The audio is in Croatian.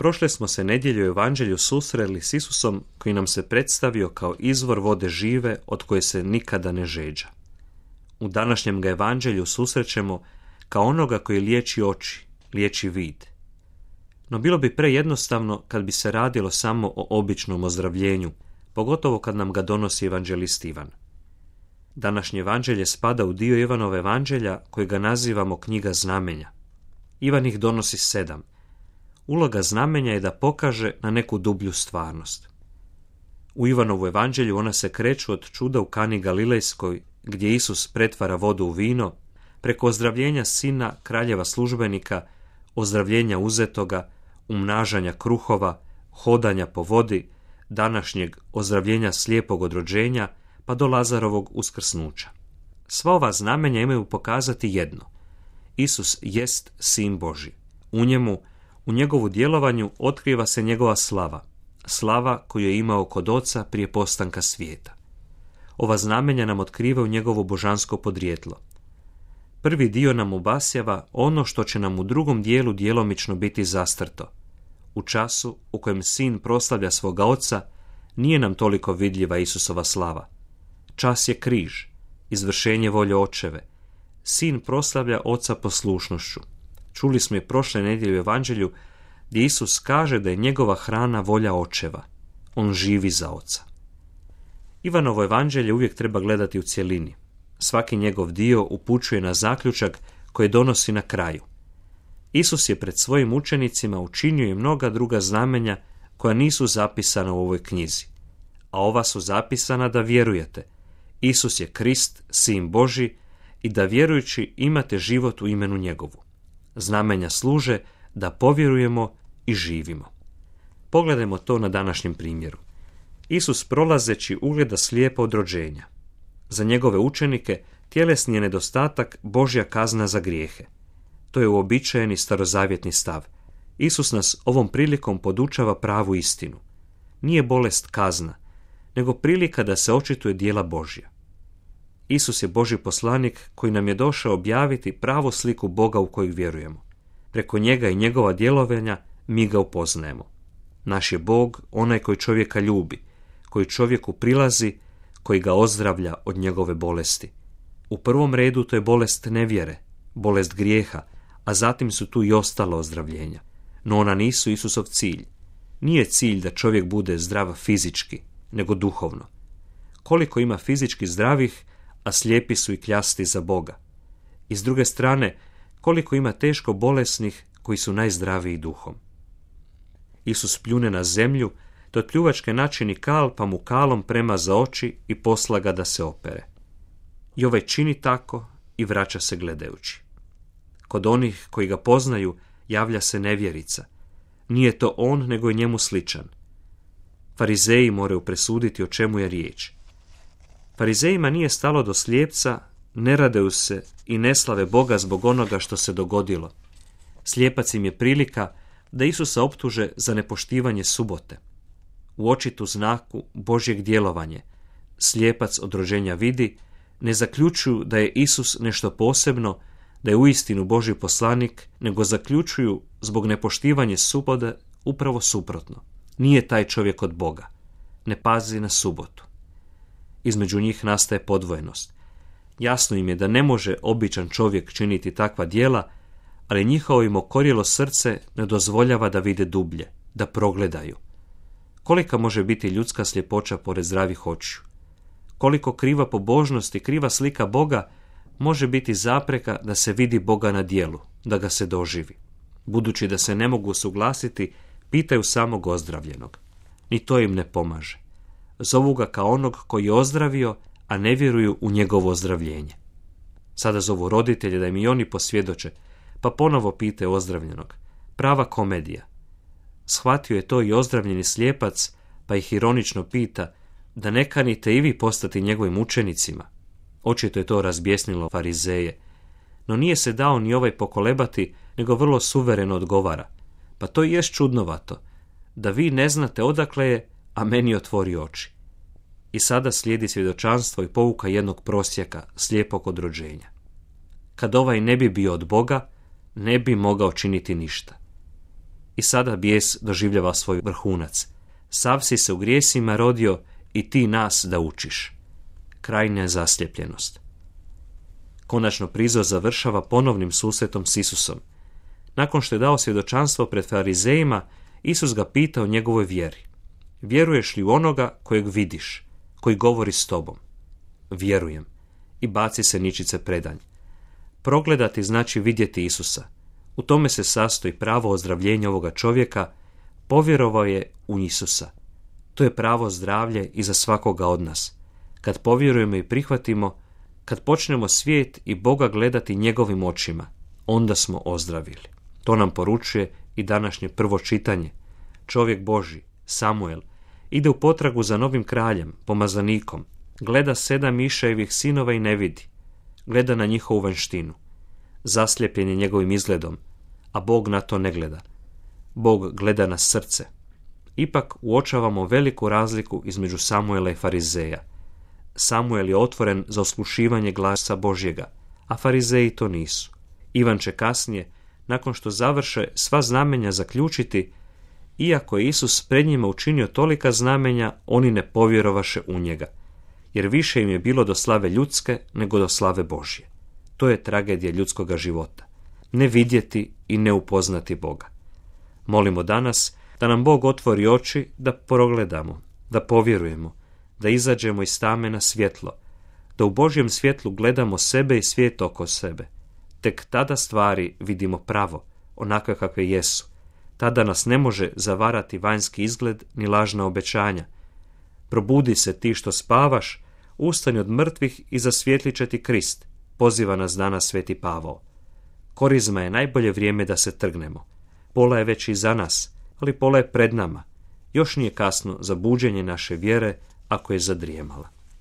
Prošle smo se nedjelju u evanđelju susreli s Isusom koji nam se predstavio kao izvor vode žive od koje se nikada ne žeđa. U današnjem ga evanđelju susrećemo kao onoga koji liječi oči, liječi vid. No bilo bi prejednostavno kad bi se radilo samo o običnom ozdravljenju, pogotovo kad nam ga donosi evanđelist Ivan. Današnje evanđelje spada u dio Ivanove evanđelja kojega nazivamo knjiga znamenja. Ivan ih donosi 7. Uloga znamenja je da pokaže na neku dublju stvarnost. U Ivanovu evanđelju ona se kreću od čuda u Kani Galilejskoj, gdje Isus pretvara vodu u vino, preko ozdravljenja sina kraljeva službenika, ozdravljenja uzetoga, umnažanja kruhova, hodanja po vodi, današnjeg ozdravljenja slijepog od rođenja, pa do Lazarovog uskrsnuća. Sva ova znamenja imaju pokazati jedno. Isus jest Sin Božji. U njemu, u njegovu djelovanju otkriva se njegova slava, slava koju je imao kod Oca prije postanka svijeta. Ova znamenja nam otkrivaju njegovo božansko podrijetlo. Prvi dio nam obasjava ono što će nam u drugom dijelu djelomično biti zastrto. U času u kojem Sin proslavlja svoga Oca, nije nam toliko vidljiva Isusova slava. Čas je križ, izvršenje volje Očeve. Sin proslavlja Oca poslušnošću. Čuli smo je prošle nedjelje u evanđelju gdje Isus kaže da je njegova hrana volja Očeva. On živi za Oca. Ivanovo evanđelje uvijek treba gledati u cjelini. Svaki njegov dio upućuje na zaključak koji donosi na kraju. Isus je pred svojim učenicima učinio i mnoga druga znamenja koja nisu zapisana u ovoj knjizi. A ova su zapisana da vjerujete. Isus je Krist, Sin Božji, i da vjerujući imate život u imenu njegovu. Znamenja služe da povjerujemo i živimo. Pogledajmo to na današnjem primjeru. Isus prolazeći ugleda slijepo od rođenja. Za njegove učenike tjelesni je nedostatak Božja kazna za grijehe. To je uobičajeni starozavjetni stav. Isus nas ovom prilikom podučava pravu istinu. Nije bolest kazna, nego prilika da se očituje djela Božja. Isus je Božji poslanik koji nam je došao objaviti pravu sliku Boga u kojeg vjerujemo. Preko njega i njegova djelovanja mi ga upoznajemo. Naš je Bog onaj koji čovjeka ljubi, koji čovjeku prilazi, koji ga ozdravlja od njegove bolesti. U prvom redu to je bolest nevjere, bolest grijeha, a zatim su tu i ostala ozdravljenja. No ona nisu Isusov cilj. Nije cilj da čovjek bude zdrav fizički, nego duhovno. Koliko ima fizički zdravih, a slijepi su i kljasti za Boga. I s druge strane, koliko ima teško bolesnih koji su najzdraviji duhom. Isus pljune na zemlju, te od pljuvačke načini kal, pa mu kalom prema za oči i posla ga da se opere. I ovaj čini tako i vraća se gledajući. Kod onih koji ga poznaju javlja se nevjerica. Nije to on, nego je njemu sličan. Farizeji moraju presuditi o čemu je riječ. Farizejima nije stalo do slijepca, ne raduju se i ne slave Boga zbog onoga što se dogodilo. Slijepac im je prilika da Isusa optuže za nepoštivanje subote. U očitu znaku Božjeg djelovanja slijepac od rođenja vidi, ne zaključuju da je Isus nešto posebno, da je uistinu Božji poslanik, nego zaključuju zbog nepoštivanja subote upravo suprotno. Nije taj čovjek od Boga. Ne pazi na subotu. Između njih nastaje podvojenost. Jasno im je da ne može običan čovjek činiti takva djela, ali njihovo im okorjelo srce ne dozvoljava da vide dublje, da progledaju. Kolika može biti ljudska sljepoća pored zdravih očiju? Koliko kriva pobožnost i kriva slika Boga može biti zapreka da se vidi Boga na djelu, da ga se doživi? Budući da se ne mogu suglasiti, pitaju samog ozdravljenog. Ni to im ne pomaže. Zovu ga kao onog koji je ozdravio, a ne vjeruju u njegovo ozdravljenje. Sada zovu roditelje da im i oni posvjedoče, pa ponovo pitaju ozdravljenog. Prava komedija. Shvatio je to i ozdravljeni slijepac, pa ih ironično pita da ne kanite i vi postati njegovim učenicima. Očito je to razbjesnilo farizeje, no nije se dao ni ovaj pokolebati, nego vrlo suvereno odgovara. Pa to i jest čudnovato, da vi ne znate odakle je, a meni otvori oči. I sada slijedi svjedočanstvo i pouka jednog prosjeka, slijepog od rođenja. Kad ovaj ne bi bio od Boga, ne bi mogao činiti ništa. I sada bijes doživljava svoj vrhunac. Sav si se u grijesima rodio i ti nas da učiš. Krajnja zasljepljenost. Konačno prizor završava ponovnim susretom s Isusom. Nakon što je dao svjedočanstvo pred farizejima, Isus ga pita o njegovoj vjeri. Vjeruješ li u onoga kojeg vidiš, koji govori s tobom? Vjerujem. I baci se ničice predanj. Progledati znači vidjeti Isusa. U tome se sastoji pravo ozdravljenje ovoga čovjeka, povjerovao je u Isusa. To je pravo zdravlje i za svakoga od nas. Kad povjerujemo i prihvatimo, kad počnemo svijet i Boga gledati njegovim očima, onda smo ozdravili. To nam poručuje i današnje prvo čitanje. Čovjek Božji, Samuel, ide u potragu za novim kraljem, pomazanikom. Gleda 7 Mišajevih sinova i ne vidi. Gleda na njihovu vanjštinu. Zaslijepljen je njegovim izgledom, a Bog na to ne gleda. Bog gleda na srce. Ipak uočavamo veliku razliku između Samuela i farizeja. Samuel je otvoren za oslušivanje glasa Božjega, a farizeji to nisu. Ivan će kasnije, nakon što završe sva znamenja, zaključiti: iako je Isus pred njima učinio tolika znamenja, oni ne povjerovaše u njega, jer više im je bilo do slave ljudske nego do slave Božje. To je tragedija ljudskoga života. Ne vidjeti i ne upoznati Boga. Molimo danas da nam Bog otvori oči, da progledamo, da povjerujemo, da izađemo iz tame na svjetlo, da u Božjem svjetlu gledamo sebe i svijet oko sebe. Tek tada stvari vidimo pravo, onakve kakve jesu. Tada nas ne može zavarati vanjski izgled ni lažna obećanja. Probudi se ti što spavaš, ustani od mrtvih i zasvijetlit će ti Krist, poziva nas danas sveti Pavao. Korizma je najbolje vrijeme da se trgnemo. Pola je već iza nas, ali pola je pred nama. Još nije kasno za buđenje naše vjere ako je zadrijemala.